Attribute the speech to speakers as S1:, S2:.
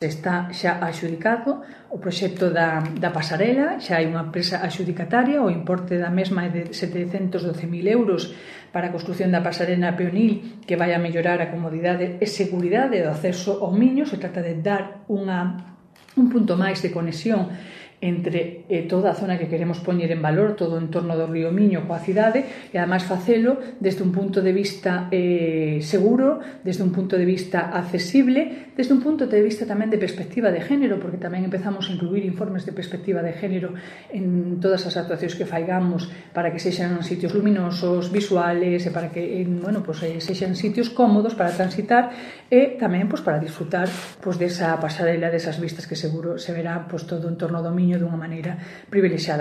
S1: Está xa adxudicado o proxecto da pasarela, xa hai unha empresa adxudicataria, o importe da mesma é de 712.000 euros para a construción da pasarela peonil que vai a mellorar a comodidade e seguridade do acceso ao Miño. Se trata de dar un punto máis de conexión entre toda a zona que queremos poñer en valor, todo o entorno do río Miño coa cidade, e ademais facelo desde un punto de vista seguro, desde un punto de vista accesible, desde un punto de vista tamén de perspectiva de género, porque tamén empezamos a incluir informes de perspectiva de género en todas as actuacións que faigamos para que sexan sitios luminosos, visuales, e para que sexan sitios cómodos para transitar e tamén para disfrutar desa pasarela, desas vistas que seguro se verá todo o entorno do Miño dunha maneira privilexiada.